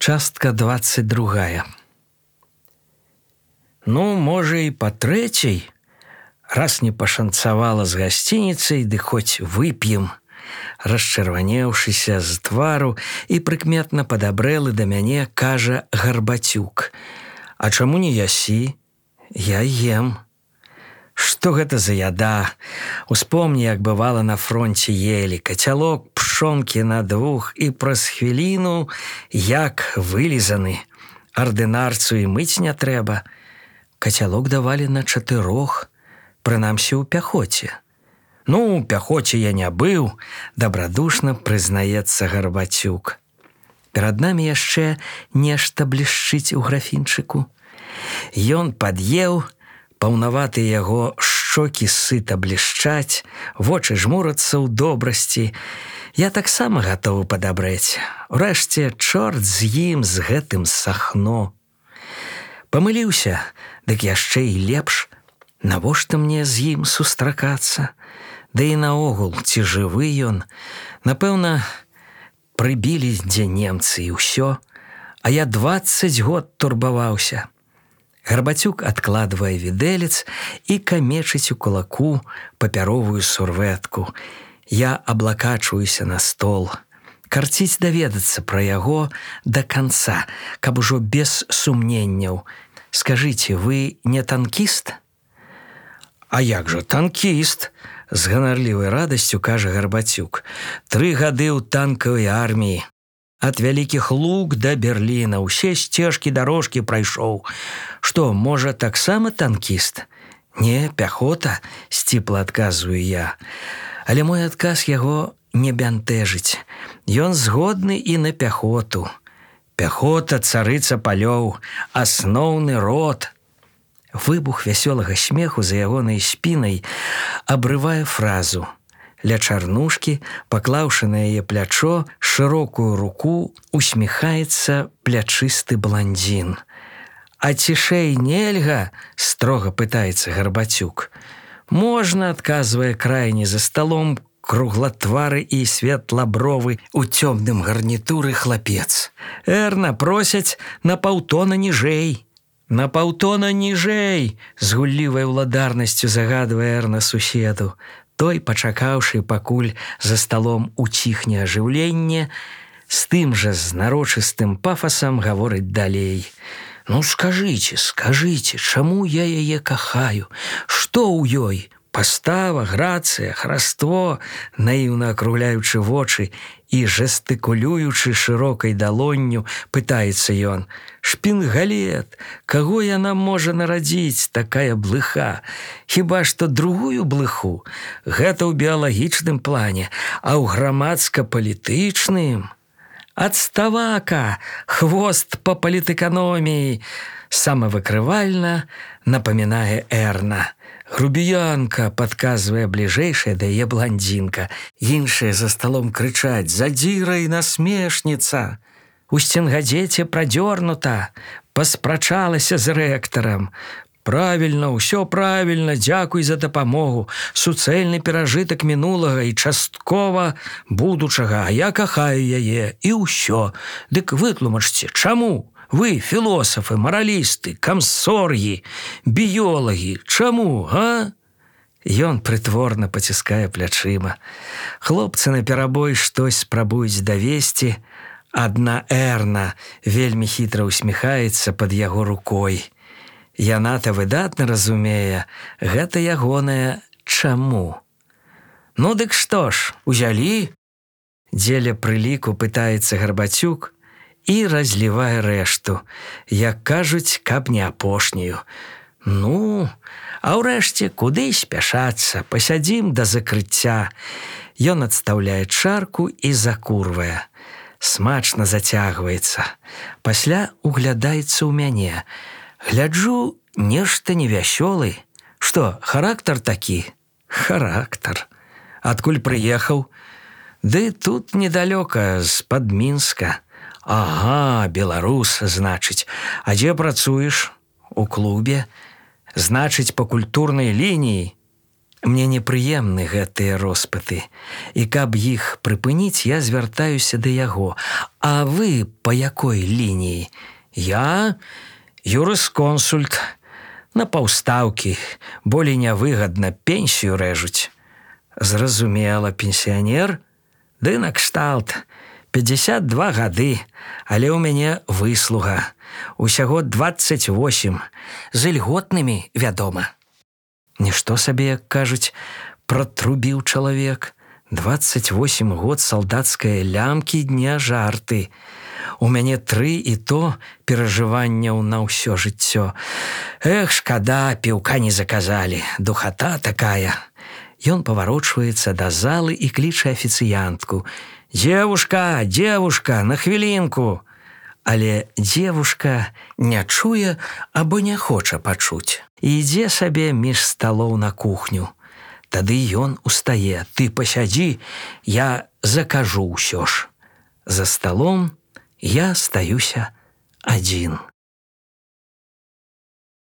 Частка 22. Ну, можа, і па трэцяй, раз не пашанцавала з гасцініцай, ды хоць вып'ем. Расчырванеўшыся з твару і прыкметна падабрэлы да мяне, кажа Гарбацюк. А чаму не ясі? Я ем. Што гэта за яда? Успомні, як бывала на фронце елі. Кацялок пшонкі на двух і праз хвіліну як вылізаны. Ардынарцу і мыць не трэба. Кацялок давалі на 4, прынамсі ў пяхоце. Ну, у пяхоце я не быў, дабрадушна прызнаецца Гарбацюк. Перад намі яшчэ нешта блішчыць у графінчыку. Ён пад'еў, паўнаватыя яго шчокі сыта блішчаць, вочы жмурацца ў добрасці. Я таксама гатовы падабрэць. Урэшце, чорт з ім, з гэтым сахно. Памыліўся, дык яшчэ і лепш. Навошта мне з ім сустракацца? Да і наогул, ці жывы ён? Напэўна, прыбілі дзе немцы і ўсё. А я 20 год турбаваўся. Гарбацюк адкладвае відэлец і камечыць у кулаку папяровую сурвэтку. Я аблакачваюся на стол. Карціць даведацца пра яго да канца, каб ужо без сумненняў. Скажыце, вы не танкіст? А як жа танкіст? З ганарлівай радасцю кажа Гарбацюк. 3 гады ў танкавай арміі. Ад вялікіх лук да Берліна ўсе сцежкі дарожкі прайшоў. Што, можа, таксама танкіст? Не, пяхота, сціпла адказваю я. Але мой адказ яго не бянтэжыць. Ён згодны і на пяхоту. Пяхота царыца палёў, асноўны род. Выбух вясёлага смеху за ягонай спінай абрывае фразу. Ля чарнушкі, паклаўшы на яе плячо, шырокую руку усміхаецца плячысты бландзін. А цішэй нельга? Строга пытаецца Гарбацюк. Можна, адказвае крайні за сталом круглатвары і светлабровы у цёмным гарнітуры хлапец. Эрна, просяць на паўтона ніжэй. На паўтона ніжэй, з гуллівай уладарнасцю загадвае Эрна суседу. Той, пачакаўшы, пакуль за сталом уціхне ажыўленне, з тым жа знарочыстым пафасам гаворыць далей. Ну, скажыце, чаму я яе кахаю? Што ў ёй? Пастава, грацыя, хараство, наіўна акругляючы вочы і жэстыкулюючы шырокай далонню, пытаецца ён. Шпінгалет, каго яна можа нарадзіць, такая блыха? Хіба што другую блыху? Гэта ў біялагічным плане, а ў грамадска-палітычным? Адставака, хвост па палітэканоміі, самавыкрывальна напамінае Эрна. Грубіянка, падказвае бліжэйшая да яе бландзінка. Іншыя за сталом крычаць: задзіра і насмешніца. У сценгадзеце прадзёрнута, паспрачалася з рэктарам. Правільна, ўсё правільна, дзякуй за дапамогу. Суцэльны перажытак мінулага і часткова будучага, а я кахаю яе, і ўсё. Дык вытлумачце, чаму? Вы, філосафы, маралісты, камсоргі, біёлагі, чаму, га? Ён прытворна паціскае плячыма. Хлопцы наперабой штось спрабуюць давесці. Адна Эрна вельмі хітра усміхаецца пад яго рукой. Яна-то выдатна разумее, гэта ягонае чаму. Ну дык што ж, узялі? Дзеля прыліку пытаецца Гарбацюк і разлівае рэшту, як кажуць, каб не апошнюю. Ну, а ўрэшце, куды спяшацца, пасядзім да закрыцця. Ён адстаўляе чарку і закурвае. Смачна зацягваецца. Пасля углядаецца ў мяне. Гляджу, нешта невясёлы. Што, характар такі? Характар. Адкуль прыехаў? Ды тут недалёка, з-пад Мінска. Ага, беларус, значыць. А дзе працуеш? У клубе. Значыць, па культурнай лініі. Мне непрыемны гэтыя роспыты. І каб іх прыпыніць, я звяртаюся да яго. А вы па якой лініі? Я юрысконсульт. На паўстаўкі. Болей нявыгадна, пенсію рэжуць. Зразумела, пенсіянер? Ды накшталт. 52 гады, але ў мяне выслуга. Усяго 28. З ільготнымі, вядома. Нішто сабе, як кажуць, пратрубіў чалавек. 28 год салдацкае лямкі дня жарты. У мяне 3 і то перажыванняў на ўсё жыццё. Эх, шкада, піўка не заказалі. Духата такая. Ён паварочваецца да залы і кліча афіцыянтку. «Девушка, девушка, на хвілінку!» Але девушка не чуе або не хоча пачуць. І ідзе сабе між сталоў на кухню. Тады ён устае. «Ты пасядзі, я закажу ўсё ж». За сталом я стаюся адзін.